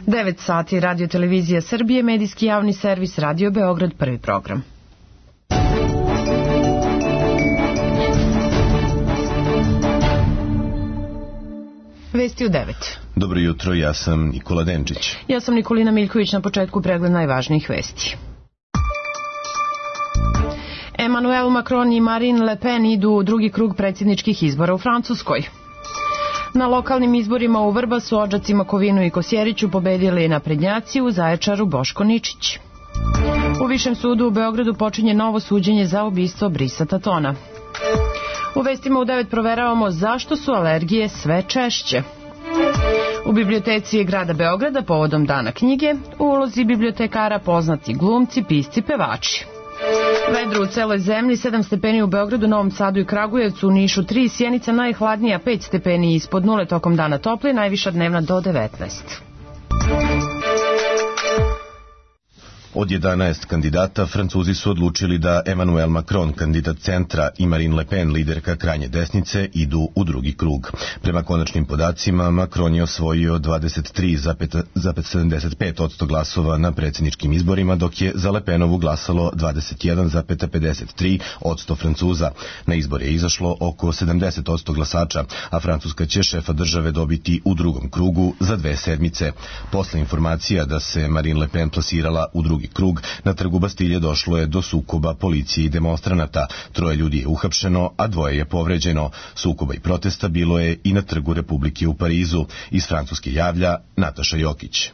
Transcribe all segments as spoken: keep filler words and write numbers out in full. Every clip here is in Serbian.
devet sati, Radio Televizija Srbije, medijski javni servis Radio Beograd, prvi program. Vesti u devet. Dobro jutro, ja sam Nikola Denčić. Ja sam Nikolina Miljković, na početku pregled najvažnijih vesti. Emmanuel Macron i Marine Le Pen idu u drugi krug predsjedničkih izbora u Francuskoj. Na lokalnim izborima u Vrbasu, Odžacima, Kovinu i Kosjeriću pobedili naprednjaci, u Zaječaru Boško Ničić. U Višem sudu u Beogradu počinje novo suđenje za ubistvo Brisa Tatona. U vestima u devet proveravamo zašto su alergije sve češće. U biblioteci grada Beograda povodom Dana knjige, u ulozi bibliotekara poznati glumci, pisci, pevači. Vedro u celoj zemlji, sedam stepeni u Beogradu, Novom Sadu i Kragujevcu, u Nišu tri, Sjenica najhladnija pet stepeni ispod nule, tokom dana topli, najviša dnevna do devetnaest. Od jedanaest kandidata, Francuzi su odlučili da Emmanuel Macron, kandidat centra, i Marine Le Pen, liderka krajnje desnice, idu u drugi krug. Prema konačnim podacima, Macron je osvojio dvadeset tri zarez sedamdeset pet posto glasova na predsjedničkim izborima, dok je za Le Penovu glasalo dvadeset jedan zarez pedeset tri posto Francuza. Na izbor je izašlo oko sedamdeset posto glasača, a Francuska će šefa države dobiti u drugom krugu za dve sedmice. Posle informacija da se Marine Le Pen plasirala u drugi krug, na trgu Bastilje došlo je do sukoba policije i demonstranata. Troje ljudi je uhapšeno, a dvoje je povređeno. Sukoba i protesta bilo je i na trgu Republike u Parizu. Iz Francuske javlja Nataša Jokić.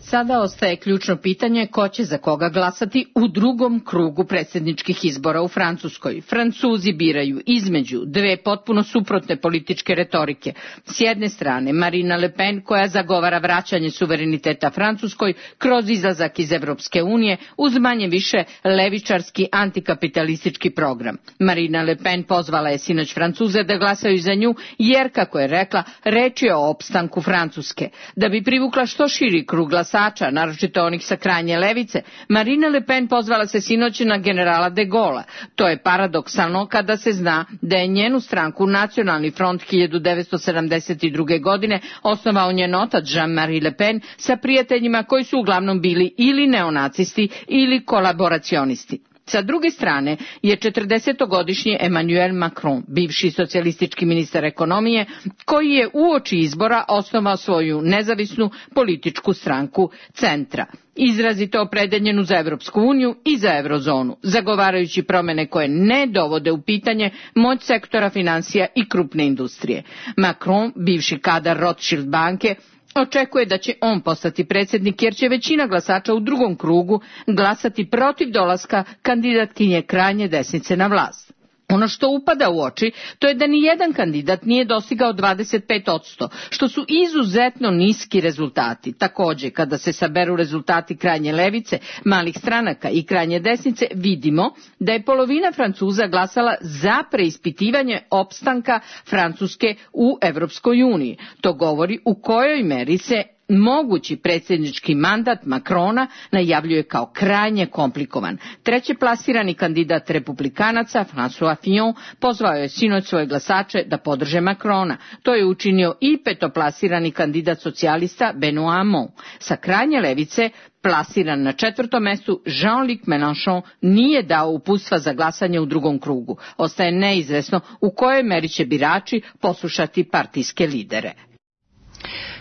Sada ostaje ključno pitanje ko će za koga glasati u drugom krugu predsjedničkih izbora u Francuskoj. Francuzi biraju između dve potpuno suprotne političke retorike. S jedne strane Marine Le Pen, koja zagovara vraćanje suvereniteta Francuskoj kroz izlazak iz Evropske unije uz manje više levičarski antikapitalistički program. Marine Le Pen pozvala je sinoć Francuze da glasaju za nju jer, kako je rekla, reč je o opstanku Francuske. Da bi privukla što širi krug glasača, naročito onih sa krajnje levice, Marine Le Pen pozvala se sinoć na generala de Gaulle. To je paradoksalno kada se zna da je njenu stranku Nacionalni front hiljadu devetsto sedamdeset druge. godine osnovao njen otac Jean-Marie Le Pen sa prijateljima koji su uglavnom bili ili neonacisti ili kolaboracionisti. Sa druge strane je četrdesetogodišnji Emmanuel Macron, bivši socijalistički ministar ekonomije, koji je uoči izbora osnovao svoju nezavisnu političku stranku Centra, izrazito opredeljenu za Evropsku uniju i za eurozonu, zagovarajući promjene koje ne dovode u pitanje moć sektora financija i krupne industrije. Macron, bivši kadar Rothschild banke, očekuje da će on postati predsjednik jer će većina glasača u drugom krugu glasati protiv dolaska kandidatkinje krajnje desnice na vlast. Ono što upada u oči, to je da ni jedan kandidat nije dostigao dvadeset pet posto, što su izuzetno niski rezultati. Također, kada se saberu rezultati krajnje levice, malih stranaka i krajnje desnice, vidimo da je polovina Francuza glasala za preispitivanje opstanka Francuske u Evropskoj uniji. To govori u kojoj meri se mogući predsjednički mandat Macrona najavljuje kao krajnje komplikovan. Treće plasirani kandidat republikanaca, François Fillon, pozvao je sinoć svoje glasače da podrže Macrona. To je učinio i petoplasirani kandidat socijalista Benoît Hamon. Sa krajnje levice, plasiran na četvrtom mjestu, Jean-Luc Mélenchon nije dao uputstva za glasanje u drugom krugu. Ostaje neizvesno u kojoj meri će birači poslušati partijske lidere.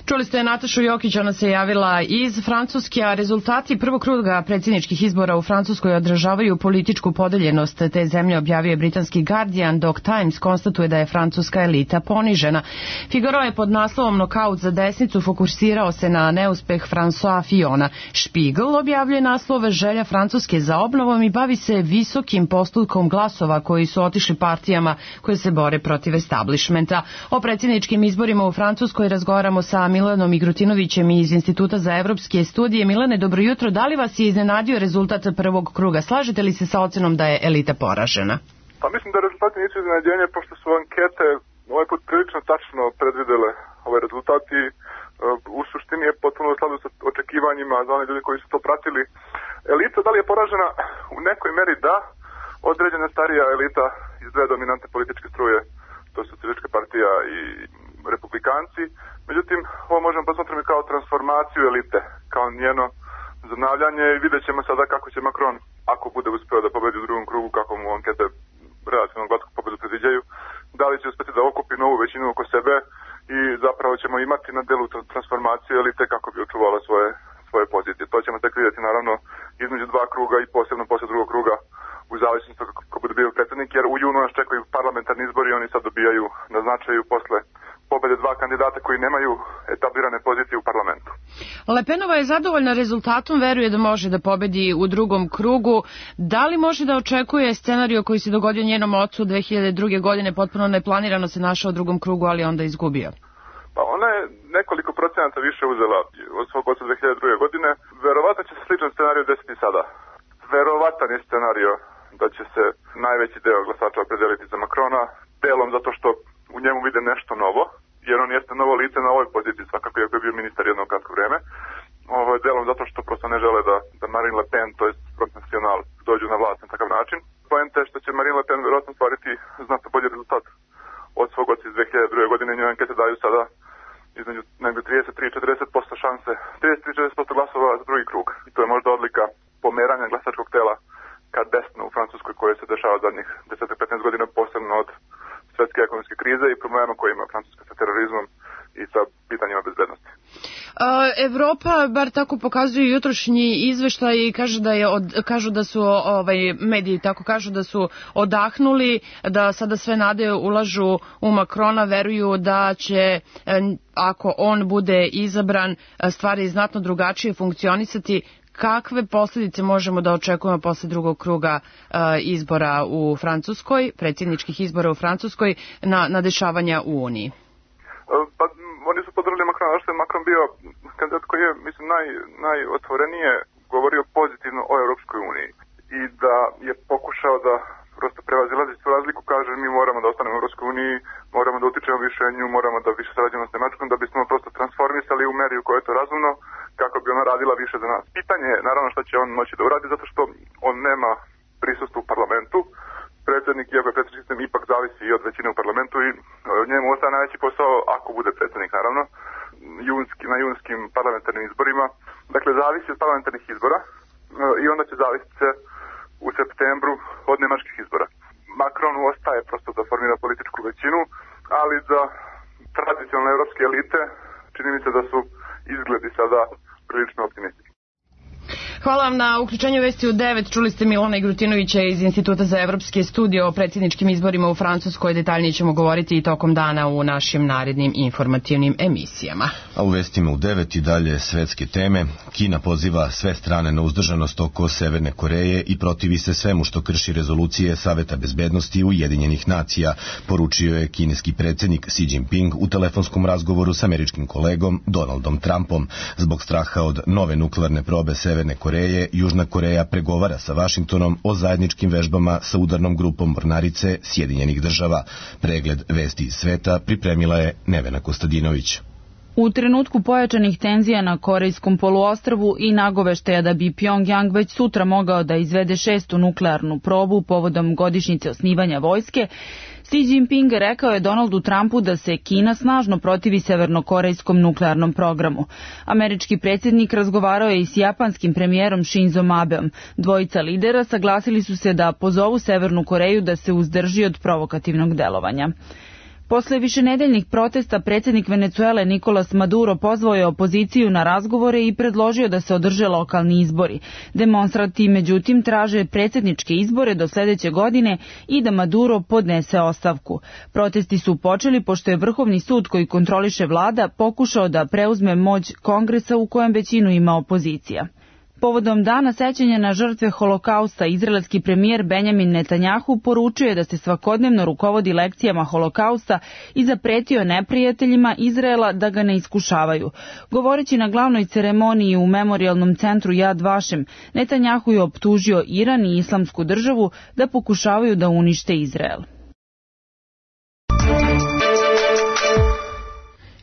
Čuli ste Natašu Jokić, ona se javila iz Francuske, a rezultati prvog kruga predsjedničkih izbora u Francuskoj odražavaju političku podeljenost te zemlje, objavio je britanski Guardian, dok Times konstatuje da je francuska elita ponižena. Figaro je pod naslovom Nokaut za desnicu fokusirao se na neuspeh François Fillona. Spiegel objavljuje naslove Želja Francuske za obnovom i bavi se visokim postotkom glasova koji su otišli partijama koje se bore protiv establishmenta. O predsjedničkim izborima u Francuskoj razgovaramo sa Milanom Igrutinovićem iz Instituta za evropske studije. Milane, dobro jutro. Da li vas je iznenadio rezultat prvog kruga? Slažete li se sa ocenom da je elita poražena? Pa mislim da rezultati nisu iznenađenje, pošto su ankete ovaj put prilično tačno predvidele ovaj rezultat i u suštini je potpuno u skladu sa očekivanjima za one ljudi koji su to pratili. Elita, da li je poražena? U nekoj meri da. Određena starija elita iz dve dominante političke struje, to su Socijalistička partija i Republikanska republikanci. Međutim, ovo možemo posmatrati kao transformaciju elite, kao njeno zanavljanje i vidjet ćemo sada kako će Macron, ako bude uspeo da pobedi u drugom krugu, kako mu ankete relativno glatku pobedu predviđaju, da li će uspeti da okupi novu većinu oko sebe i zapravo ćemo imati na delu transformaciju elite kako bi očuvala svoje, svoje pozicije. To ćemo tek vidjeti naravno između dva kruga i posebno posle drugog kruga u zavisnosti kako bude bio predsjednik, jer u junu nas čekaju parlamentarni izbori i oni sad dobijaju na značaju posle pobede dva kandidata koji nemaju etablirane pozicije u parlamentu. Le Penova je zadovoljna rezultatom, veruje da može da pobedi u drugom krugu. Da li može da očekuje scenario koji se dogodio njenom ocu dve hiljade druge. godine, potpuno neplanirano se našao u drugom krugu, ali onda izgubio? Pa ona je nekoliko procenata više uzela od svog oca dve hiljade druge. godine. Verovatno će se sličan scenario desiti sada. Verovatan je scenario da će se najveći deo glasača opredeliti za Macrona, delom zato što u njemu vide nešto novo, jer on jeste novo lice na ovoj poziciji, svakako iako je bio ministar jedno kratko vreme. Ovo je delom zato što prosto ne žele da, da Marine Le Pen, to je Front National, dođu na vlast na takav način. Poenta je što će Marine Le Pen vjerojatno stvariti znatno bolji rezultat od svog oca iz dve hiljade druge. godine. Njoj ankete daju sada između negdje trideset tri do četrdeset posto šanse, trideset tri do četrdeset posto glasova za drugi krug. I to je možda odlika pomeranja glasačkog tela ka desno u Francuskoj, koje se dešava zadnjih deset do petnaest godina, posebno od svetske ekonomske krize i problema koje ima Francuska sa terorizmom i sa pitanjima bezbednosti. Evropa, bar tako pokazuju jutrošnji izveštaj, i kaže da je od, kažu da su ovaj mediji tako kažu da su odahnuli, da sada sve nade ulažu u Macrona, veruju da će, ako on bude izabran, stvari znatno drugačije funkcionisati. Kakve posljedice možemo da očekujemo posle drugog kruga uh, izbora u Francuskoj, predsjedničkih izbora u Francuskoj, na, na dešavanja u Uniji? Pa, oni su podržali Macrona, što je Macron bio kandidat koji je, mislim, naj, najotvorenije govorio pozitivno o Europskoj uniji i da je pokušao da prosto prevazilazi tu razliku, kaže mi moramo da ostanemo u Europskoj uniji, moramo da utičemo više nju, moramo da više sarađujemo s Nemačkom, da bismo prosto transformisali u meri u kojoj je to razumno, kako bi ona radila više za nas. Pitanje je naravno što će on moći da uradi, zato što on nema prisustvo u parlamentu. Predsjednik, iako je predsjednički sistem, ipak zavisi i od većine u parlamentu i njemu ostaje najveći posao, ako bude predsjednik naravno, junski, na junskim parlamentarnim izborima. Dakle, zavisi od parlamentarnih izbora i onda će zavisiti se u septembru od nemačkih izbora. Macronu ostaje prosto da formira političku većinu, ali za tradicionalne evropske elite čini mi se da su izgledi sada prilično optimistični. Hvala vam na uključenju Vesti u devet. Čuli ste Milana Igrutinovića iz Instituta za evropske studije o predsjedničkim izborima u Francuskoj. Detaljnije ćemo govoriti i tokom dana u našim narednim informativnim emisijama. A u Vestima u devet i dalje svetske teme. Kina poziva sve strane na uzdržanost oko Severne Koreje i protivi se svemu što krši rezolucije Saveta bezbednosti Ujedinjenih nacija, poručio je kineski predsjednik Xi Jinping u telefonskom razgovoru s američkim kolegom Donaldom Trumpom. Zbog straha od nove nuklearne probe Severne Koreje, Južna Koreja pregovara sa Vašingtonom o zajedničkim vežbama sa udarnom grupom mornarice Sjedinjenih država. Pregled vesti iz sveta pripremila je Nevena Kostadinović. U trenutku pojačanih tenzija na Korejskom poluostrvu i nagoveštaja da bi Pjongjang već sutra mogao da izvede šestu nuklearnu probu povodom godišnjice osnivanja vojske, Xi Jinping rekao je Donaldu Trumpu da se Kina snažno protivi severnokorejskom nuklearnom programu. Američki predsjednik razgovarao je i s japanskim premijerom Shinzom Abeom. Dvojica lidera saglasili su se da pozovu Severnu Koreju da se uzdrži od provokativnog delovanja. Posle višenedeljnih protesta, predsjednik Venecuele Nicolas Maduro pozvao je opoziciju na razgovore i predložio da se održe lokalni izbori. Demonstranti, međutim, traže predsjedničke izbore do sljedeće godine i da Maduro podnese ostavku. Protesti su počeli pošto je Vrhovni sud koji kontroliše vlada pokušao da preuzme moć Kongresa u kojem većinu ima opozicija. Povodom dana sećanja na žrtve Holokausta, izraelski premijer Benjamin Netanjahu poručuje da se svakodnevno rukovodi lekcijama Holokausta i zapretio neprijateljima Izraela da ga ne iskušavaju. Govoreći na glavnoj ceremoniji u memorijalnom centru Yad Vashem, Netanjahu je optužio Iran i Islamsku državu da pokušavaju da unište Izrael.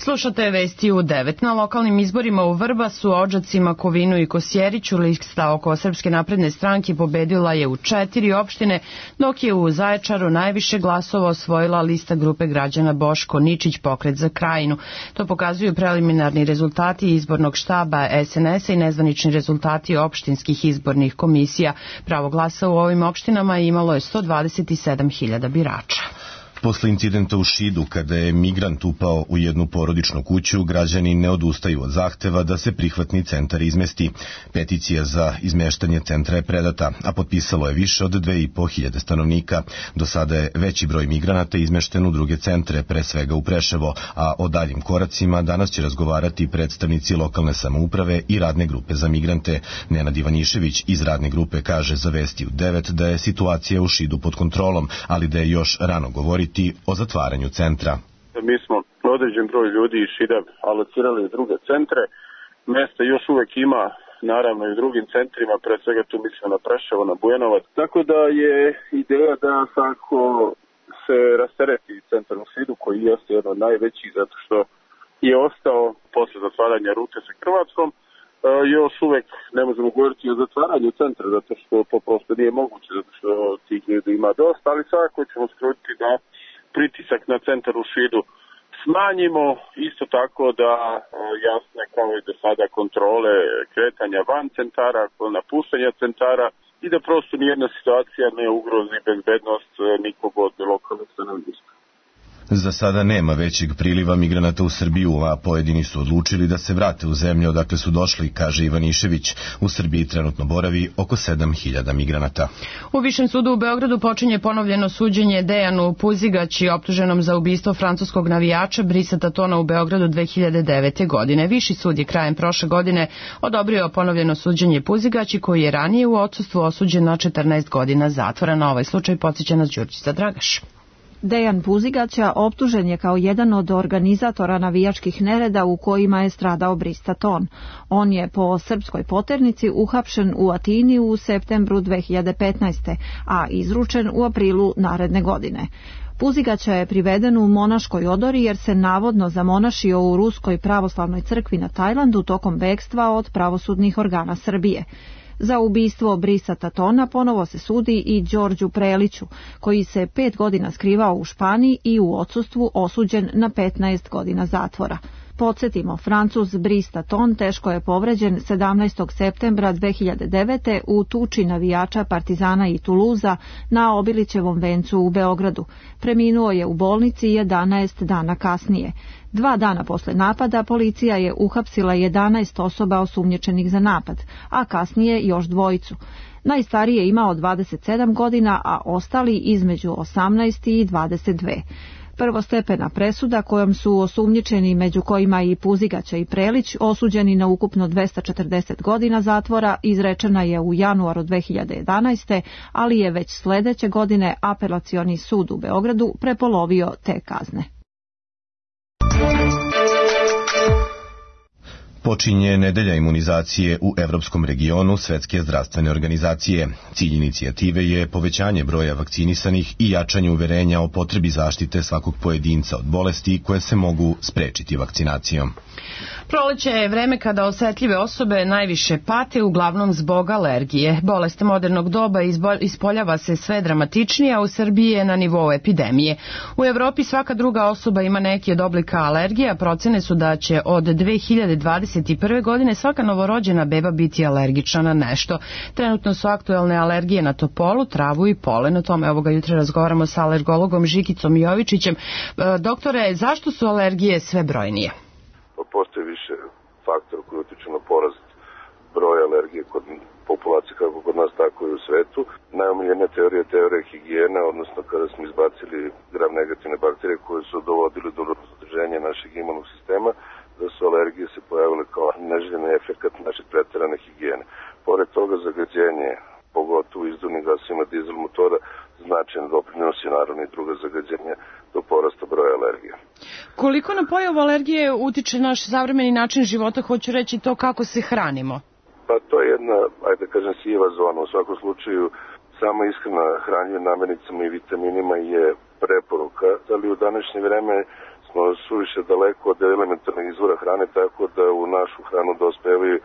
Slušate vesti u devet. Na lokalnim izborima u Vrbasu, Odžacima, Kovinu i Kosjeriću lista oko Srpske napredne stranke pobedila je u četiri opštine, dok je u Zaječaru najviše glasova osvojila lista grupe građana Boško Ničić Pokret za Krajinu. To pokazuju preliminarni rezultati izbornog štaba es en es a i nezvanični rezultati opštinskih izbornih komisija. Pravo glasa u ovim opštinama imalo je sto dvadeset sedam hiljada birača. Posle incidenta u Šidu, kada je migrant upao u jednu porodičnu kuću, građani ne odustaju od zahteva da se prihvatni centar izmesti. Peticija za izmeštanje centra je predata, a potpisalo je više od dve i po hiljade stanovnika. Do sada je veći broj migranata izmešten u druge centre, pre svega u Preševo, a o daljim koracima danas će razgovarati predstavnici lokalne samouprave i radne grupe za migrante. Nenad Ivanišević iz radne grupe kaže za Vesti u devet da je situacija u Šidu pod kontrolom, ali da je još rano govoriti o zatvaranju centra. Mi smo određen broj ljudi iz Šida alocirali u druge centre. Mesta još uvek ima, naravno i u drugim centrima, pre svega tu mislimo na Preševo, na Bujanovac. Tako da je ideja da svako se rastereti centar u Šidu, koji jeste jedan od najvećih, zato što je ostao posle zatvaranja rute sa Hrvatskom. E, još uvek ne možemo govoriti o zatvaranju centra, zato što to prosto nije moguće, zato što tih ljudi ima dosta, ali svakako ćemo skrutiti da pritisak na centar u Šidu smanjimo, isto tako da jasne kao i do sada kontrole kretanja van centara, napuštanja centara i da prosto nijedna situacija ne ugrozi bezbednost nikog od lokalnog stanovništva. Za sada nema većeg priliva migranata u Srbiju, a pojedini su odlučili da se vrate u zemlju odakle su došli, kaže Ivanišević. U Srbiji trenutno boravi oko sedam hiljada migranata. U Višem sudu u Beogradu počinje ponovljeno suđenje Dejanu Puzigaći, optuženom za ubistvo francuskog navijača Brisa Tatona u Beogradu dve hiljade devete. godine. Viši sud je krajem prošle godine odobrio ponovljeno suđenje Puzigaći, koji je ranije u odsustvu osuđen na četrnaest godina zatvora. Na ovaj slučaj podsjeća nas Đurđica Dragaš. Dejan Puzigaća optužen je kao jedan od organizatora navijačkih nereda u kojima je stradao Bris Taton. On je po srpskoj poternici uhapšen u Atini u septembru dve hiljade petnaeste. a izručen u aprilu naredne godine. Puzigaća je priveden u monaškoj odori jer se navodno zamonašio u Ruskoj pravoslavnoj crkvi na Tajlandu tokom bekstva od pravosudnih organa Srbije. Za ubistvo Brisa Tatona ponovo se sudi i Đorđu Preliću, koji se pet godina skrivao u Španiji i u odsustvu osuđen na petnaest godina zatvora. Podsjetimo, Francuz Bris Taton teško je povređen sedamnaestog septembra dve hiljade devete. u tuči navijača Partizana i Tuluza na Obilićevom vencu u Beogradu. Preminuo je u bolnici jedanaest dana kasnije. Dva dana posle napada policija je uhapsila jedanaest osoba osumnjičenih za napad, a kasnije još dvojicu. Najstariji je imao dvadeset sedam godina, a ostali između osamnaest i dvadeset dve. Prvostepena presuda kojom su osumnjičeni, među kojima i Puzigaća i Prelić, osuđeni na ukupno dvesta četrdeset godina zatvora, izrečena je u januaru dve hiljade jedanaeste. ali je već sledeće godine Apelacioni sud u Beogradu prepolovio te kazne. Počinje nedelja imunizacije u evropskom regionu Svetske zdravstvene organizacije. Cilj inicijative je povećanje broja vakcinisanih i jačanje uverenja o potrebi zaštite svakog pojedinca od bolesti koje se mogu sprečiti vakcinacijom. Proleće je vreme kada osetljive osobe najviše pate, uglavnom zbog alergije. Bolest modernog doba ispoljava se sve dramatičnije, a u Srbiji je na nivou epidemije. U Evropi svaka druga osoba ima neki od oblika alergije, a procene su da će od dve hiljade dvadeset prve. godine svaka novorođena beba biti alergična na nešto. Trenutno su aktuelne alergije na topolu, travu i polen. O tome ovoga jutra razgovaramo sa alergologom Žikicom Jovičićem. Doktore, zašto su alergije sve brojnije? Postoji više faktora koji utiču na porast broja alergije kod populacije kako kod nas, tako i u svetu. Najomiljenija teorija je teorija higijene, odnosno kada smo izbacili gram negativne bakterije koje su dovodili do zadržanja našeg imunog sistema, da su alergije se pojavile kao neželjeni efekat naše preterane higijene. Pored toga zagađenje, pogotovo izduvnim gasovima dizel motora, značajno doprinosi naravno i druga zagađenja do porasta broja alergija. Koliko na pojavu alergije utiče naš savremeni način života, hoću reći to kako se hranimo? Pa to je jedna, ajde da kažem, siva zona. U svakom slučaju, sama ishrana hranjive namirnicama i vitaminima je preporuka, ali u današnje vreme smo suviše daleko od elementarnog izvora hrane, tako da u našu hranu dospevaju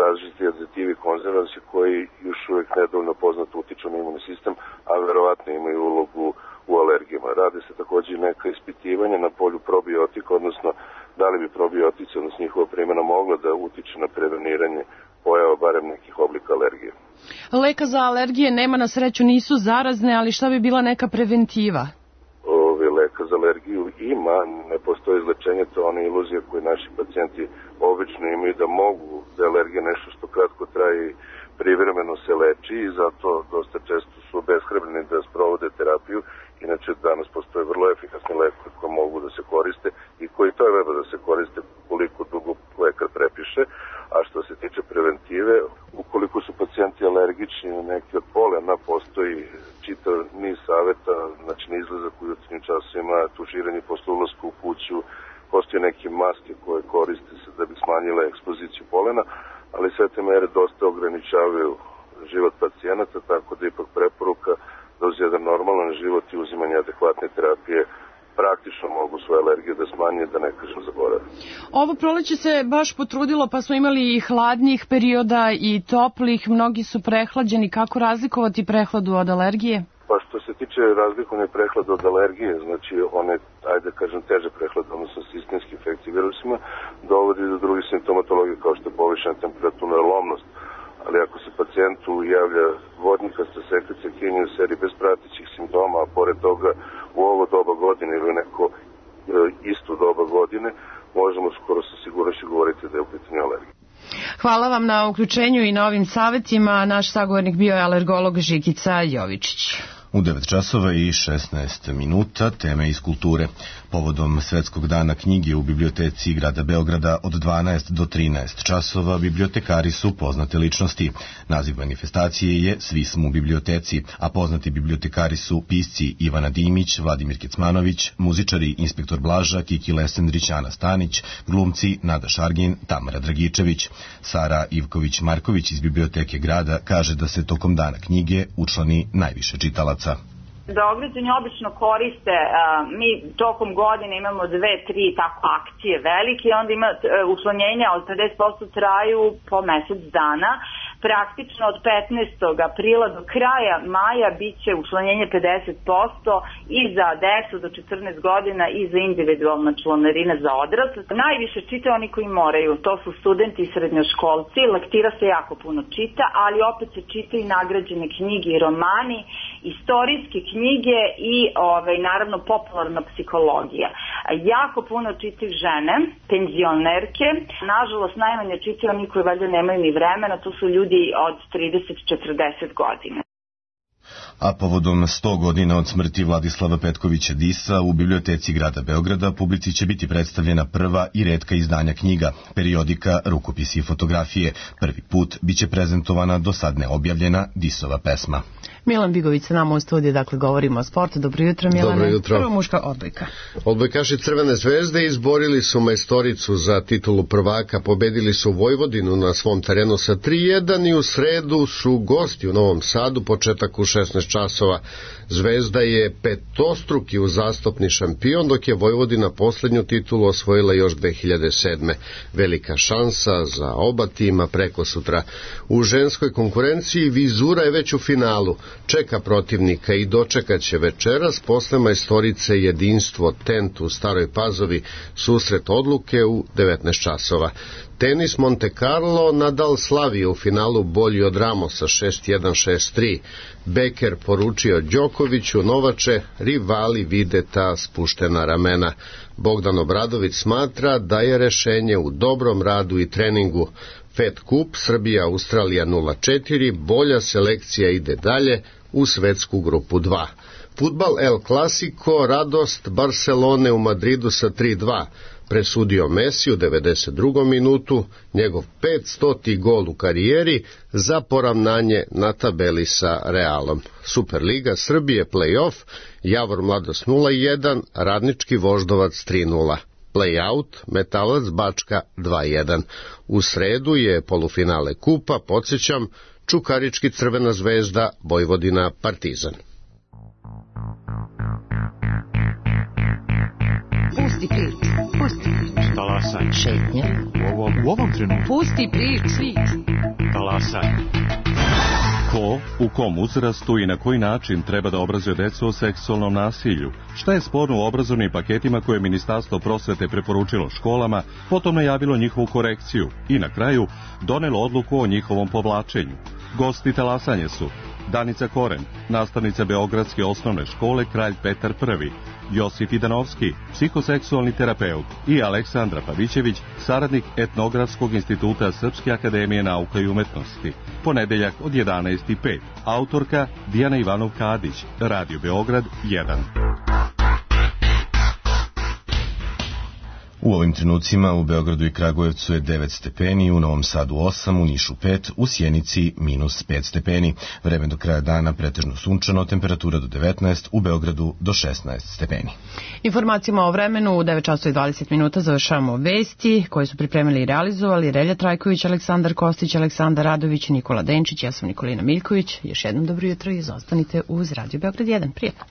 različiti aditivi i konzervansi koji još uvek nedovoljno poznato utiču na imunni sistem, a verovatno imaju ulogu u alergijama. Rade se takođe neka ispitivanja na polju probiotika, odnosno da li bi probiotici, odnosno njihova primjena mogla da utiče na preveniranje pojava barem nekih oblika alergije. Leka za alergije nema, na sreću nisu zarazne, ali šta bi bila neka preventiva? Ove, leka za alergiju ima, ne postoji izlečenje, to je ona iluzija koju naši pacijenti obično imaju da mogu, da je alergija nešto što kratko traje i privremeno se leči i zato dosta često su obeshrabreni da sprovode terapiju. Inače, danas postoje vrlo efikasni lekovi koji mogu da se koriste i koji treba da se koriste koliko dugo lekar prepiše. A što se tiče preventive, ukoliko su pacijenti alergični na neki od polena, postoji čitav niz saveta, znači na izlazak u jutarnjim časovima, tuširanje posle ulaska u kuću, postoje neke maske koje koriste se da bi smanjile ekspoziciju polena, ali sve te mere dosta ograničavaju život pacijenata, tako da ipak preporuka da uz jedan normalan život i uzimanje adekvatne terapije praktično mogu svoje alergije da smanje, da ne kažem zaborave. Ovo proleće se baš potrudilo, pa smo imali i hladnijih perioda i toplih, mnogi su prehlađeni. Kako razlikovati prehladu od alergije? Pa što se tiče razlikovanja prehlada od alergije, znači one, ajde kažem, teže prehlade, odnosno sistemske infekcije virusima, dovodi do drugih simptomatologije kao što je povišena temperatura i lomnost. Ali ako se pacijentu javlja vodnikasta sekrecija kinije u seriji bez pratećih simptoma, a pored toga u ovo doba godine ili neko e, isto doba godine, možemo skoro sa sigurnošću govoriti da je u pitanju alergija. Hvala vam na uključenju i na ovim savjetima. Naš sagovornik bio je alergolog Žikica Jovičić. U devet časova i šesnaest minuta teme iz kulture. Povodom Svetskog dana knjige u biblioteci grada Beograda od dvanaest do trinaest časova bibliotekari su poznate ličnosti. Naziv manifestacije je Svi smo u biblioteci, a poznati bibliotekari su pisci Ivana Dimić, Vladimir Kecmanović, muzičari Inspektor Blaža, Kiki Lesendrić, Ana Stanić, glumci Nada Šargin, Tamara Dragičević. Sara Ivković-Marković iz biblioteke grada kaže da se tokom dana knjige učlani najviše čitalaca. Beograđani obično koriste, mi tokom godine imamo dve, tri tako akcije velike i onda ima učlanjenja od pedeset posto traju po mesec dana. Praktično od petnaestog aprila do kraja maja bit će učlanjenje pedeset posto i za decu do četrnaest godina i za individualna članarina za odrasle. Najviše čitaju oni koji moraju, to su studenti i srednjoškolci, lektira se jako puno čita, ali opet se čitaju i nagrađene knjige i romani, istorijske knjige i ovaj, naravno popularna psihologija. Jako puno čitaju žene, penzionerke, nažalost najmanje čitaju oni koji valjda nemaju ni vremena, to su ljudi od trideset do četrdeset godina. A povodom sto godina od smrti Vladislava Petkovića Disa u biblioteci grada Beograda publici će biti predstavljena prva i retka izdanja knjiga, periodika, rukopisi i fotografije. Prvi put biće prezentovana do sad neobjavljena Disova pesma. Milan Bigović sa nama u studiju, dakle govorimo o sportu. Dobro jutro, Milane. Dobro jutro. Prva muška odbojka. Odbojkaši Crvene zvezde izborili su majstoricu za titulu prvaka, pobedili su Vojvodinu na svom terenu sa tri jedan i u sredu su gosti u Novom Sadu, početak u šesnaest časova. Zvezda je petostruki uzastopni šampion, dok je Vojvodina poslednju titulu osvojila još dve hiljade sedme. Velika šansa za oba tima preko sutra. U ženskoj konkurenciji Vizura je već u finalu. Čeka protivnika i dočekat će večeras posle majstorice Jedinstvo Tent u Staroj Pazovi, susret odluke u devetnaest časova. Tenis Monte Carlo, Nadal slavi u finalu bolji od Ramosa šest jedan šest tri. Beker poručio Đokoviću, Novače, rivali vide ta spuštena ramena. Bogdan Obradović smatra da je rešenje u dobrom radu i treningu. Fed Kup, Srbija, Australija nula četiri, bolja selekcija ide dalje u svetsku grupu dva. Fudbal El Clasico, radost Barcelone u Madridu sa tri dva. Presudio Messi u devedeset drugom minutu, njegov petstoti gol u karijeri za poravnanje na tabeli sa Realom. Superliga Srbije play-off, Javor Mladost nula jedan, Radnički Voždovac tri nula. Play-out, Metalac Bačka dva jedan. U sredu je polufinale kupa, podsjećam, Čukarički Crvena zvezda, Vojvodina Partizan. Pusti priču. Pusti priču. Talasaj. Šetnja. U ovom, u ovom trenutku. Pusti priču. Talasaj. Ko, u kom uzrastu i na koji način treba da obrazuje decu o seksualnom nasilju? Šta je sporno u obrazovnim paketima koje je Ministarstvo prosvete preporučilo školama, potom najavilo njihovu korekciju i na kraju donelo odluku o njihovom povlačenju? Gosti talasanje su Danica Koren, nastavnica Beogradske osnovne škole Kralj Petar Prvi, Josip Idanovski, psihoseksualni terapeut i Aleksandra Pavićević, saradnik Etnografskog instituta Srpske akademije nauka i umetnosti. Ponedeljak od jedanaest i pet. Autorka Dijana Ivanov-Kadić, Radio Beograd jedan. U ovim trenucima u Beogradu i Kragujevcu je devet stepeni, u Novom Sadu osam, u Nišu pet, u Sjenici minus pet stepeni. Vreme do kraja dana pretežno sunčano, temperatura do devetnaest, u Beogradu do šesnaest stepeni. Informacijama o vremenu u devet časova i dvadeset minuta završavamo vesti koje su pripremili i realizovali Relja Trajković, Aleksandar Kostić, Aleksandar Radović, Nikola Denčić, ja sam Nikolina Miljković. Još jednom dobro jutro i ostanite uz Radio Beograd jedan. Prijatno.